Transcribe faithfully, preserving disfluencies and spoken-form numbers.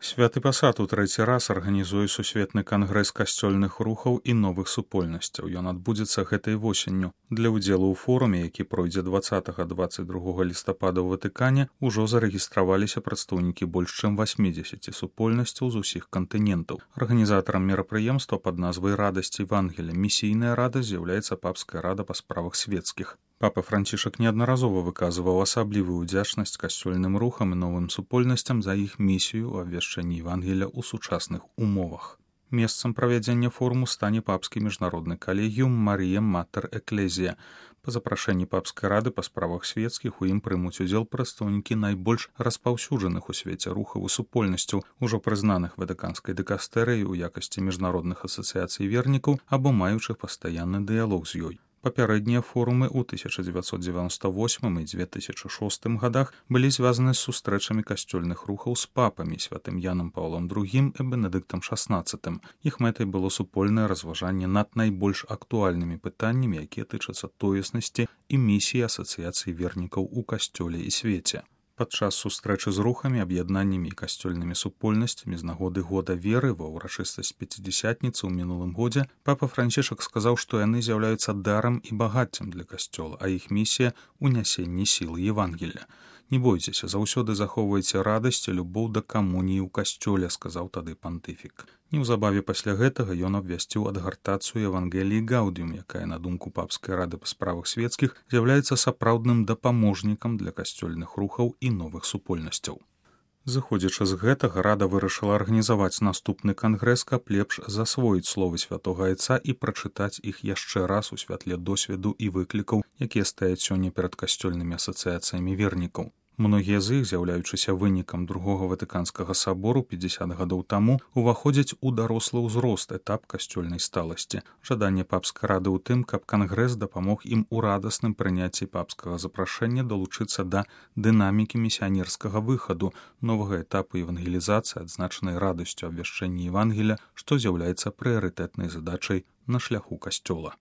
Святы пасад у трэці раз арганізуе сусветны кангрэс касцёльных рухаў і новых супольнасцяў. Ён адбудзецца гэтай восенню. Для ўдзелу ў форуме, які пройдзе дваццатага дваццаць другога лістапада ў Ватыкане, ужо зарэгістраваліся прадстаўнікі больш чым васьмідзесяці супольнасцяў з усіх кантынентаў. Арганізатарам мерапрыемства пад назвай «Радасць Евангелія» місійная рада з'яўляецца папская рада па справах свецкіх. Папа Францішак неаднаразова выказваў асаблівую ўдзячнасць касцёльным рухам і новым супольнасцям за іх місію ў абвяшчэнні Евангелія ў сучасных умовах. Месцам правядзення форуму стане папскі міжнародны калегіум Марія Матер Эклезія. Па запрашэнні папскай рады па справах свецкіх у ім прымуць удзел прадстаўнікі найбольш распаўсюджаных у свеце рухаў і супольнасцяў, ужо прызнаных ватыканскай дыкастэрыяй у якасці міжнародных асацыяцый вернікаў або маючых пастаянны дыялог з ёй. Папярэднія форумы ў тысяча дзевяцьсот дзевяносто восьмым і дзве тысячы шостым гадах былі звязаны з сустрэчамі касцёльных рухаў з папамі святым Янам Паўлом другім і Бенедыктам шаснаццатым. Іх мэтай было супольнае разважанне над найбольш актуальнымі пытаннямі, якія тычацца тоеснасці і місіі асацыяцыі вернікаў у касцёле і свеце. Падчас сустрэчы з рухамі, аб'яднаннямі і касцёльнымі супольнасцямі з нагоды года веры ва ўрачыстасць пяцідзясятніцы ў мінулым годзе папа Францішак сказаў, што яны з'яўляюцца дарам і багаццем для касцёла, а іх місія — унясенне сілы Евангелія. «Не бойцеся, заўсёды захоўвайце радасць і любоў да камуніі ў касцёле», — сказаў тады пантыфік. Неўзабаве пасля гэтага ён абвясціў адгартацыю Евангеліі Гаудіум, якая, на думку папскай рады па справах свецкіх, з'яўляецца сапраўдным дапаможнікам для касцёльных рухаў і новых супольнасцяў. Зыходзячы з гэтага, рада вырашыла арганізаваць наступны кангрэс, каб лепш засвоіць словы святога айца і прачытаць іх яшчэ раз у святле досведу і выклікаў, якія стаяць сёння перад касцёльнымі асацыяцыямі вернікаў. Многія з іх, з'яўляючыся вынікам другога ватыканскага сабору пяцьдзясят гадоў таму, уваходзяць у дарослы ўзрост, этап касцёльнай сталасці. Жаданне папскай рады ў тым, каб кангрэс дапамог ім у радасным прыняцці папскага запрашэння далучыцца да дынамікі місіянерскага выхаду, новага этапу евангелізацыі, адзначанай радасцю абвяшчэння Евангелія, што з'яўляецца прыярытэтнай задачай на шляху касцёла.